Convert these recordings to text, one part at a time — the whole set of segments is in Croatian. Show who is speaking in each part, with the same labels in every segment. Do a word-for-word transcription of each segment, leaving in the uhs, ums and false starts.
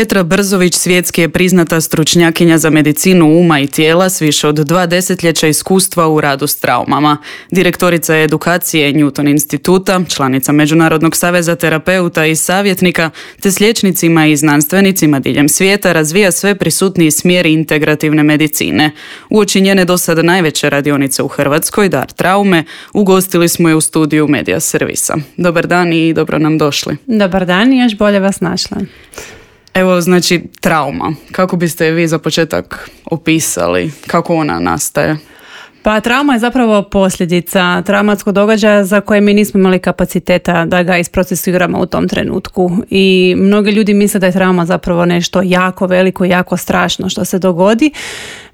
Speaker 1: Petra Brzović svjetski je priznata stručnjakinja za medicinu uma i tijela s više od dva desetljeća iskustva u radu s traumama. Direktorica je edukacije Newton instituta, članica Međunarodnog saveza terapeuta i savjetnika, te s liječnicima i znanstvenicima diljem svijeta razvija sve prisutniji smjer integrativne medicine. Uoči njene do sada najveće radionice u Hrvatskoj, Dar traume, ugostili smo je u studiju Medija servisa. Dobar dan i dobro nam došli.
Speaker 2: Dobar dan i još bolje vas našla.
Speaker 1: Evo, znači, trauma. Kako biste je vi za početak opisali? Kako ona nastaje?
Speaker 2: Pa trauma je zapravo posljedica traumatskog događaja za koje mi nismo imali kapaciteta da ga isprocesuiramo u tom trenutku. I mnogi ljudi misle da je trauma zapravo nešto jako veliko, jako strašno što se dogodi.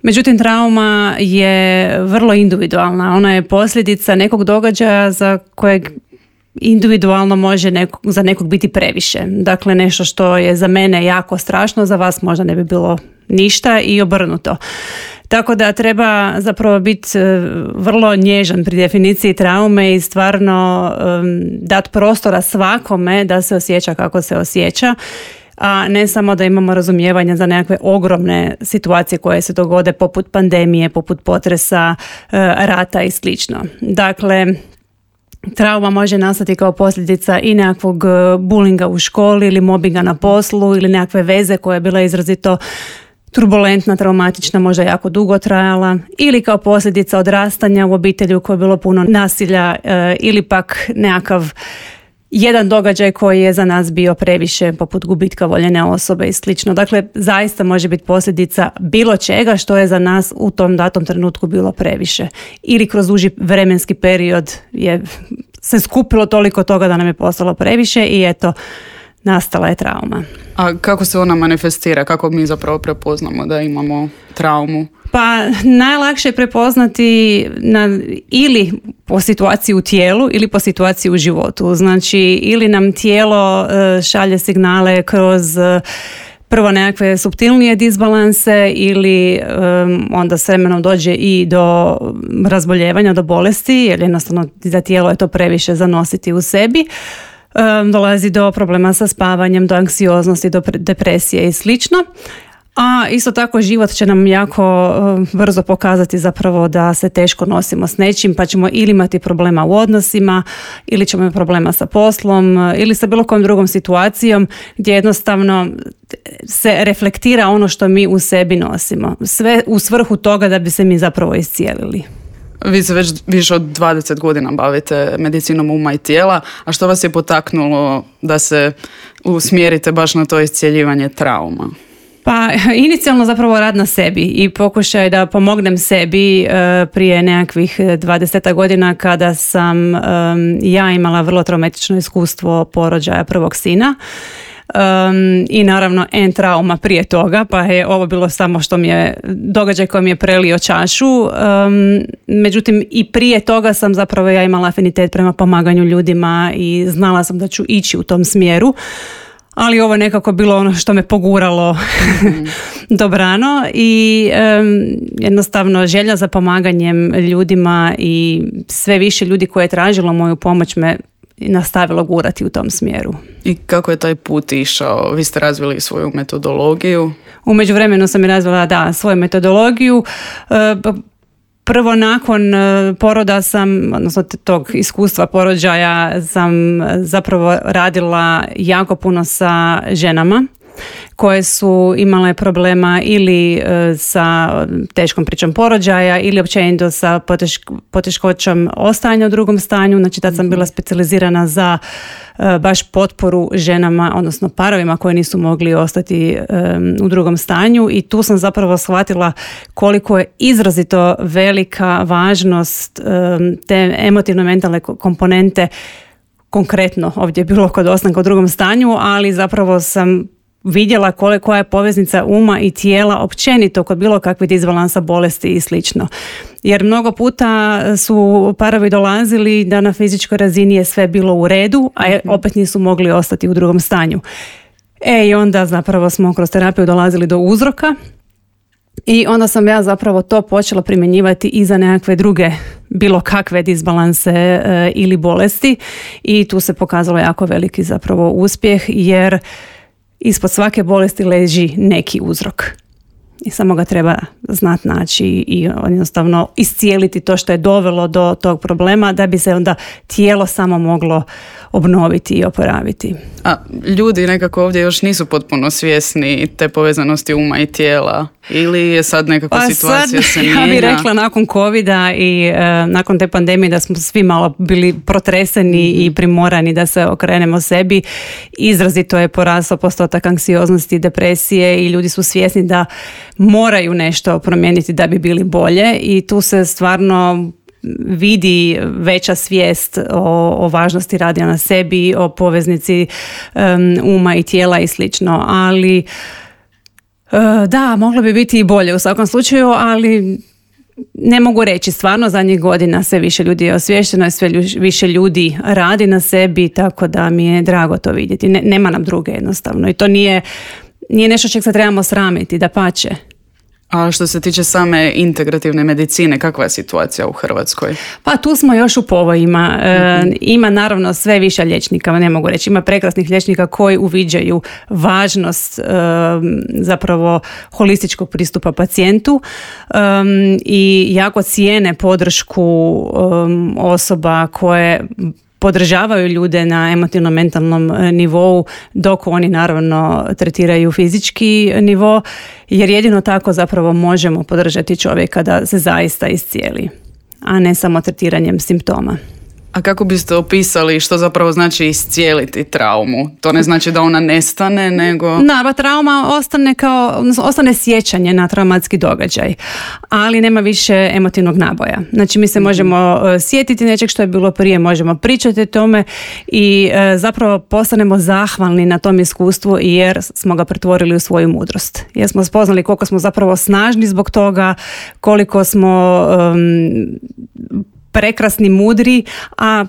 Speaker 2: Međutim, trauma je vrlo individualna. Ona je posljedica nekog događaja za kojeg individualno može nekog, za nekog biti previše. Dakle, nešto što je za mene jako strašno, za vas možda ne bi bilo ništa i obrnuto. Tako da treba zapravo biti vrlo nježan pri definiciji traume i stvarno um, dati prostora svakome da se osjeća kako se osjeća, a ne samo da imamo razumijevanja za nekakve ogromne situacije koje se dogode poput pandemije, poput potresa, rata i slično. Dakle, trauma može nastati kao posljedica i nekakvog bulinga u školi ili mobinga na poslu ili nekakve veze koja je bila izrazito turbulentna, traumatična, možda jako dugo trajala, ili kao posljedica odrastanja u obitelji u kojoj je bilo puno nasilja e, ili pak nekakav jedan događaj koji je za nas bio previše, poput gubitka voljene osobe i slično. Dakle, zaista može biti posljedica bilo čega što je za nas u tom datom trenutku bilo previše. Ili kroz duži vremenski period je se skupilo toliko toga da nam je postalo previše i eto, nastala je trauma.
Speaker 1: A kako se ona manifestira? Kako mi zapravo prepoznamo da imamo traumu?
Speaker 2: Pa najlakše je prepoznati na, ili po situaciji u tijelu ili po situaciji u životu. Znači, ili nam tijelo e, šalje signale kroz e, prvo nekakve suptilnije disbalanse ili um, onda s vremenom dođe i do razboljevanja, do bolesti, jer jednostavno za tijelo je to previše zanositi u sebi. Um, dolazi do problema sa spavanjem, do anksioznosti, do depresije i slično. A isto tako život će nam jako um, brzo pokazati zapravo da se teško nosimo s nečim, pa ćemo ili imati problema u odnosima, ili ćemo imati problema sa poslom, ili sa bilo kojom drugom situacijom gdje jednostavno se reflektira ono što mi u sebi nosimo. Sve u svrhu toga da bi se mi zapravo iscijelili.
Speaker 1: Vi se već više od dvadeset godina bavite medicinom uma i tijela, a što vas je potaknulo da se usmjerite baš na to iscjeljivanje trauma?
Speaker 2: Pa inicijalno zapravo rad na sebi i pokušaj da pomognem sebi e, prije nekakvih dvadeset godina kada sam e, ja imala vrlo traumatično iskustvo porođaja prvog sina. Um, i naravno en trauma prije toga, pa je ovo bilo samo što mi je događaj koji mi je prelio čašu. Um, međutim i prije toga sam zapravo ja imala afinitet prema pomaganju ljudima i znala sam da ću ići u tom smjeru, ali ovo je nekako bilo ono što me poguralo mm. dobrano i um, jednostavno želja za pomaganjem ljudima i sve više ljudi koje je tražilo moju pomoć me nastavilo gurati u tom smjeru.
Speaker 1: I kako je taj put išao? Vi ste razvili svoju metodologiju?
Speaker 2: U međuvremenu sam i razvila, da, svoju metodologiju. Prvo nakon poroda sam, odnosno tog iskustva porođaja, sam zapravo radila jako puno sa ženama koje su imale problema ili e, sa teškom pričom porođaja ili općenito sa potešk- poteškoćom ostajanja u drugom stanju. Znači tad sam bila specijalizirana za e, baš potporu ženama, odnosno parovima koji nisu mogli ostati e, u drugom stanju i tu sam zapravo shvatila koliko je izrazito velika važnost e, te emotivno-mentalne komponente, konkretno ovdje je bilo kod ostanka u drugom stanju, ali zapravo sam vidjela koja je poveznica uma i tijela općenito kod bilo kakvih disbalansa, bolesti i slično. Jer mnogo puta su parovi dolazili da na fizičkoj razini je sve bilo u redu, a opet nisu mogli ostati u drugom stanju. E i onda zapravo smo kroz terapiju dolazili do uzroka i onda sam ja zapravo to počela primjenjivati i za nekakve druge bilo kakve disbalanse e, ili bolesti i tu se pokazalo jako veliki zapravo uspjeh jer ispod svake bolesti leži neki uzrok. I samo ga treba znat naći i jednostavno iscijeliti to što je dovelo do tog problema da bi se onda tijelo samo moglo obnoviti i oporaviti.
Speaker 1: A ljudi nekako ovdje još nisu potpuno svjesni te povezanosti uma i tijela ili je sad nekakva
Speaker 2: pa
Speaker 1: situacija
Speaker 2: sad,
Speaker 1: se mijenja?
Speaker 2: Ja bih rekla nakon covida i e, nakon te pandemije da smo svi malo bili protreseni mm-hmm. i primorani da se okrenemo sebi. Izrazito je porastao postotak anksioznosti, depresije i ljudi su svjesni da moraju nešto promijeniti da bi bili bolje i tu se stvarno vidi veća svijest o, o važnosti rada na sebi, o poveznici um, uma i tijela i slično, ali uh, da, moglo bi biti i bolje u svakom slučaju, ali ne mogu reći, stvarno zadnjih godina sve više ljudi je osviješteno i sve više ljudi radi na sebi, tako da mi je drago to vidjeti. Ne, nema nam druge jednostavno i to nije, nije nešto čeg se trebamo sramiti, dapače.
Speaker 1: A što se tiče same integrativne medicine, kakva je situacija u Hrvatskoj?
Speaker 2: Pa tu smo još u povojima. E, mm-hmm. Ima naravno sve više liječnika, ne mogu reći. Ima prekrasnih liječnika koji uviđaju važnost e, zapravo holističkog pristupa pacijentu e, i jako cijene podršku e, osoba koje podržavaju ljude na emotivno-mentalnom nivou dok oni naravno tretiraju fizički nivo, jer jedino tako zapravo možemo podržati čovjeka da se zaista iscijeli, a ne samo tretiranjem simptoma.
Speaker 1: A kako biste opisali što zapravo znači iscijeliti traumu? To ne znači da ona nestane, nego...
Speaker 2: Da, trauma ostane kao, ostane sjećanje na traumatski događaj, ali nema više emotivnog naboja. Znači mi se možemo sjetiti nečeg što je bilo prije, možemo pričati o tome i zapravo postanemo zahvalni na tom iskustvu jer smo ga pretvorili u svoju mudrost. Jer smo spoznali koliko smo zapravo snažni zbog toga, koliko smo... Um, prekrasni, mudri, a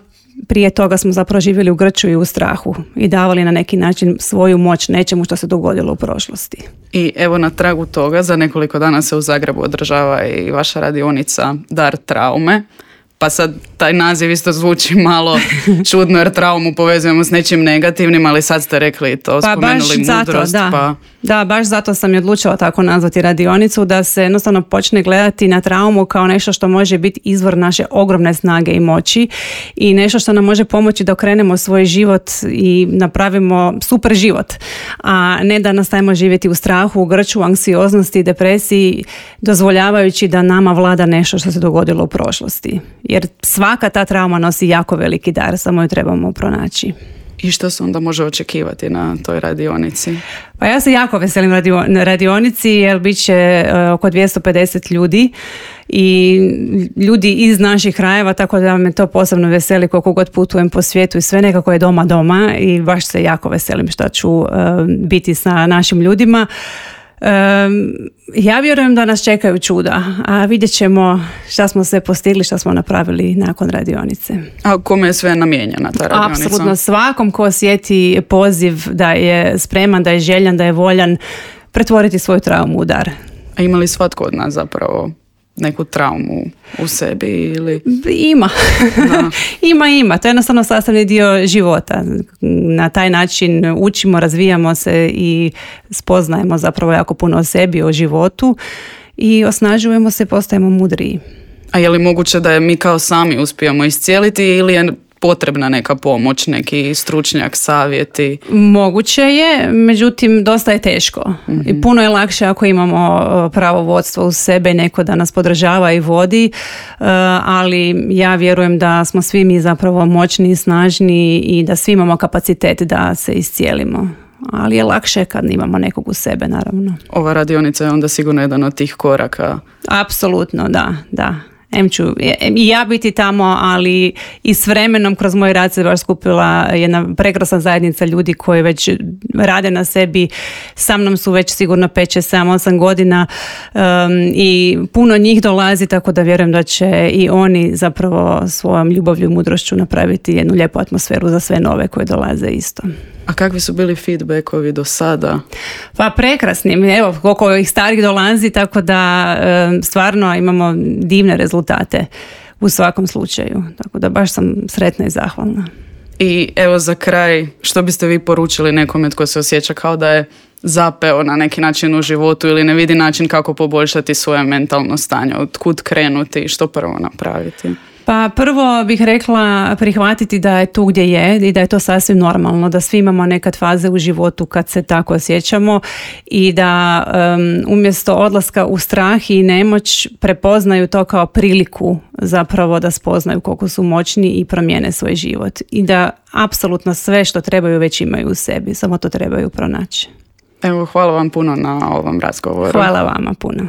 Speaker 2: prije toga smo zapravo živjeli u grču i u strahu i davali na neki način svoju moć nečemu što se dogodilo u prošlosti.
Speaker 1: I evo na tragu toga, za nekoliko dana se u Zagrebu održava i vaša radionica Dar traume. Pa sad taj naziv isto zvuči malo čudno jer traumu povezujemo s nečim negativnim, ali sad ste rekli to,
Speaker 2: pa
Speaker 1: spomenuli
Speaker 2: baš
Speaker 1: mudrost.
Speaker 2: Zato, da.
Speaker 1: Pa...
Speaker 2: da, baš zato sam i odlučila tako nazvati radionicu, da se jednostavno počne gledati na traumu kao nešto što može biti izvor naše ogromne snage i moći i nešto što nam može pomoći da okrenemo svoj život i napravimo super život, a ne da nastavimo živjeti u strahu, u grču, anksioznosti, depresiji, dozvoljavajući da nama vlada nešto što se dogodilo u prošlosti. Jer svaka ta trauma nosi jako veliki dar, samo ju trebamo pronaći.
Speaker 1: I što se onda može očekivati na toj radionici?
Speaker 2: Pa ja se jako veselim radio, radionici jer bit će uh, oko dvjesto pedeset ljudi i ljudi iz naših krajeva, tako da me to posebno veseli koliko god putujem po svijetu i sve nekako je doma doma i baš se jako veselim što ću uh, biti sa našim ljudima. Um, ja vjerujem da nas čekaju čuda, a vidjet ćemo šta smo sve postigli, šta smo napravili nakon radionice.
Speaker 1: A kome je sve namijenjena ta radionica?
Speaker 2: Apsolutno svakom ko osjeti poziv da je spreman, da je željan, da je voljan pretvoriti svoju traumu u dar.
Speaker 1: A ima li svatko od nas zapravo neku traumu u sebi ili...
Speaker 2: Ima. ima, ima. To je jednostavno sastavni dio života. Na taj način učimo, razvijamo se i spoznajemo zapravo jako puno o sebi, o životu i osnažujemo se, postajemo mudriji.
Speaker 1: A je li moguće da je mi kao sami uspijemo iscijeliti ili je potrebna neka pomoć, neki stručnjak, savjeti?
Speaker 2: Moguće je, međutim dosta je teško. Mm-hmm. I puno je lakše ako imamo pravo vodstvo u sebe, neko da nas podržava i vodi, ali ja vjerujem da smo svi mi zapravo moćni i snažni i da svi imamo kapacitet da se iscijelimo. Ali je lakše kad imamo nekog u sebe, naravno.
Speaker 1: Ova radionica je onda sigurno jedan od tih koraka.
Speaker 2: Apsolutno, da, da. Em ću i ja biti tamo, ali i s vremenom kroz moj rad se baš skupila jedna prekrasna zajednica ljudi koji već rade na sebi. Sa mnom su već sigurno pet, šest, sedam, osam godina um, i puno njih dolazi, tako da vjerujem da će i oni zapravo svojom ljubavlju i mudrošću napraviti jednu lijepu atmosferu za sve nove koje dolaze isto.
Speaker 1: A kakvi su bili feedbackovi do sada?
Speaker 2: Pa prekrasni. Evo, koliko ih starih dolazi, tako da e, stvarno imamo divne rezultate u svakom slučaju. Tako da baš sam sretna i zahvalna.
Speaker 1: I evo za kraj, što biste vi poručili nekome tko se osjeća kao da je zapeo na neki način u životu ili ne vidi način kako poboljšati svoje mentalno stanje, od kud krenuti i što prvo napraviti?
Speaker 2: Pa prvo bih rekla prihvatiti da je tu gdje je i da je to sasvim normalno, da svi imamo nekad faze u životu kad se tako osjećamo i da um, umjesto odlaska u strah i nemoć prepoznaju to kao priliku zapravo da spoznaju koliko su moćni i promijene svoj život i da apsolutno sve što trebaju već imaju u sebi, samo to trebaju pronaći.
Speaker 1: Evo, hvala vam puno na ovom razgovoru.
Speaker 2: Hvala vama puno.